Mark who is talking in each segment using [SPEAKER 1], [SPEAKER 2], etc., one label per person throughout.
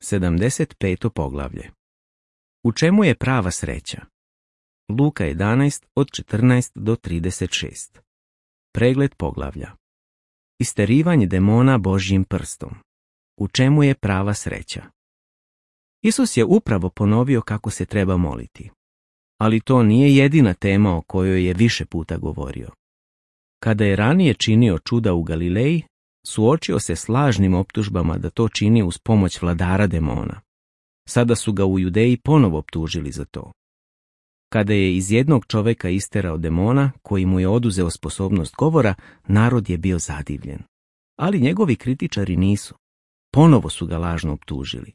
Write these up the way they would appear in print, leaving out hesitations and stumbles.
[SPEAKER 1] 75. poglavlje. U čemu je prava sreća? Luka 11 od 14 do 36. Pregled poglavlja. Isterivanje demona Božjim prstom. U čemu je prava sreća? Isus je upravo ponovio kako se treba moliti. Ali to nije jedina tema o kojoj je više puta govorio. Kada je ranije činio čuda u Galileji, suočio se s lažnim optužbama da to čini uz pomoć vladara demona. Sada su ga u Judeji ponovo optužili za to. Kada je iz jednog čoveka isterao demona, koji mu je oduzeo sposobnost govora, narod je bio zadivljen. Ali njegovi kritičari nisu. Ponovo su ga lažno optužili.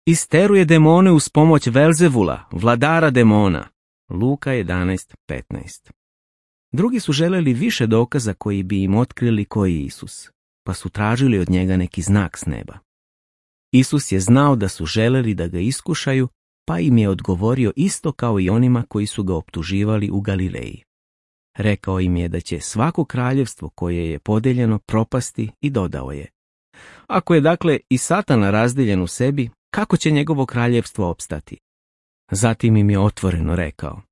[SPEAKER 1] Isteruje demone uz pomoć Velzevula, vladara demona. Luka 11:15. Drugi su želeli više dokaza koji bi im otkrili koji je Isus, pa su tražili od njega neki znak s neba. Isus je znao da su želeli da ga iskušaju, pa im je odgovorio isto kao i onima koji su ga optuživali u Galileji. Rekao im je da će svako kraljevstvo koje je podeljeno propasti i dodao je: ako je dakle i Satana razdeljen u sebi, kako će njegovo kraljevstvo opstati? Zatim im je otvoreno rekao: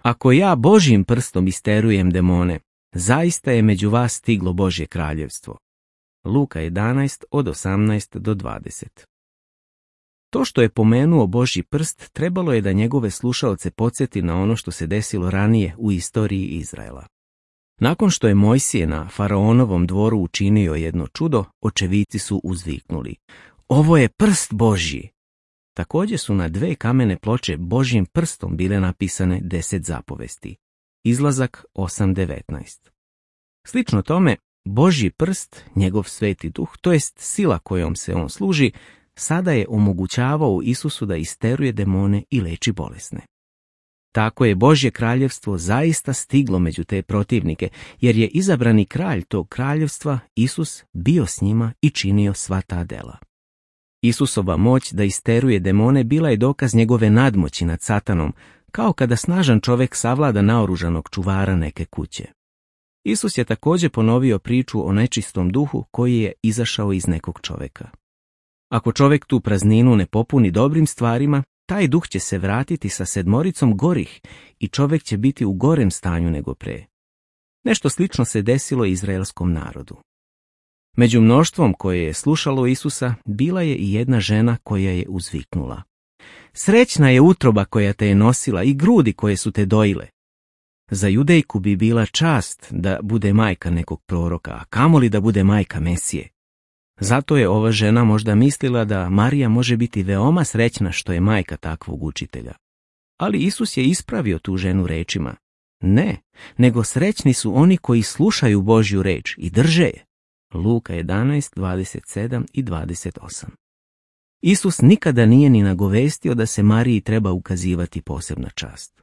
[SPEAKER 1] ako ja Božjim prstom isterujem demone, zaista je među vas stiglo Božje kraljevstvo. Luka 11 od 18 do 20. To što je pomenuo Božji prst trebalo je da njegove slušaoce podsjeti na ono što se desilo ranije u istoriji Izraela. Nakon što je Mojsije na faraonovom dvoru učinio jedno čudo, očevici su uzviknuli: ovo je prst Božji! Također su na 2 kamene ploče Božjim prstom bile napisane 10 zapovesti. Izlazak 8:19. Slično tome, Božji prst, njegov sveti duh, to jest sila kojom se on služi, sada je omogućavao Isusu da isteruje demone i leči bolesne. Tako je Božje kraljevstvo zaista stiglo među te protivnike, jer je izabrani kralj tog kraljevstva, Isus, bio s njima i činio sva ta dela. Isusova moć da isteruje demone bila je dokaz njegove nadmoći nad Satanom, kao kada snažan čovjek savlada naoružanog čuvara neke kuće. Isus je također ponovio priču o nečistom duhu koji je izašao iz nekog čovjeka. Ako čovjek tu prazninu ne popuni dobrim stvarima, taj duh će se vratiti sa 7 gorih i čovjek će biti u gorem stanju nego pre. Nešto slično se desilo izraelskom narodu. Među mnoštvom koje je slušalo Isusa bila je i jedna žena koja je uzviknula: srećna je utroba koja te je nosila i grudi koje su te dojile. Za Judejku bi bila čast da bude majka nekog proroka, a kamoli da bude majka Mesije. Zato je ova žena možda mislila da Marija može biti veoma srećna što je majka takvog učitelja. Ali Isus je ispravio tu ženu rečima: ne, nego srećni su oni koji slušaju Božju reč i drže je. Luka 11:27 i 28. Isus nikada nije ni nagovestio da se Mariji treba ukazivati posebna čast.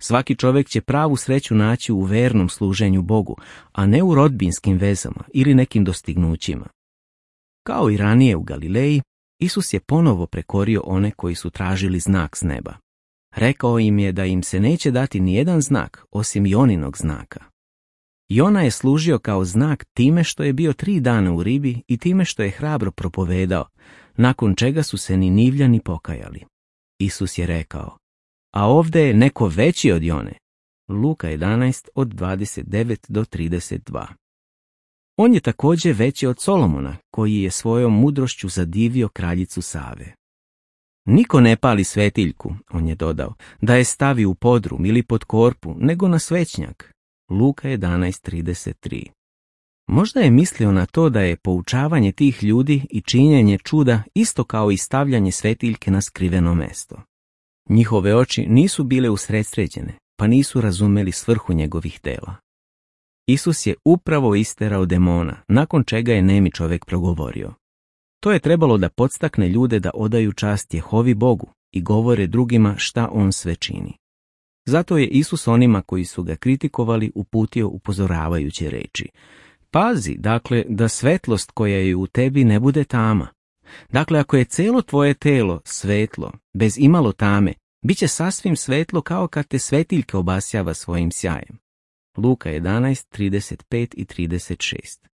[SPEAKER 1] Svaki čovjek će pravu sreću naći u vernom služenju Bogu, a ne u rodbinskim vezama ili nekim dostignućima. Kao i ranije u Galileji, Isus je ponovo prekorio one koji su tražili znak s neba. Rekao im je da im se neće dati nijedan znak osim Joninog znaka. Jona je služio kao znak time što je bio 3 dana u ribi i time što je hrabro propovedao, nakon čega su se Ninivljani pokajali. Isus je rekao: a ovdje je neko veći od Jone. Luka 11 od 29 do 32. On je također veći od Solomona, koji je svojom mudrošću zadivio kraljicu Save. Niko ne pali svetiljku, on je dodao, da je stavi u podrum ili pod korpu, nego na svećnjak. Luka 11:33. Možda je mislio na to da je poučavanje tih ljudi i činjenje čuda isto kao i stavljanje svetiljke na skriveno mesto. Njihove oči nisu bile usredsređene, pa nisu razumeli svrhu njegovih dela. Isus je upravo isterao demona, nakon čega je nemi čovjek progovorio. To je trebalo da podstakne ljude da odaju čast Jehovi Bogu i govore drugima šta on sve čini. Zato je Isus onima koji su ga kritikovali uputio upozoravajuće reči: pazi, dakle, da svetlost koja je u tebi ne bude tama. Dakle, ako je celo tvoje telo svetlo, bez imalo tame, bit će sasvim svetlo kao kad te svetiljka obasjava svojim sjajem. Luka 11:35 i 36.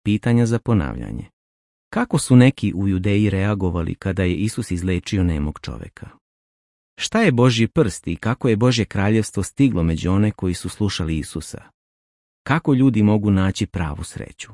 [SPEAKER 1] Pitanja za ponavljanje. Kako su neki u Judeji reagovali kada je Isus izlečio nemog čovjeka? Šta je Božji prst i kako je Božje kraljevstvo stiglo među one koji su slušali Isusa? Kako ljudi mogu naći pravu sreću?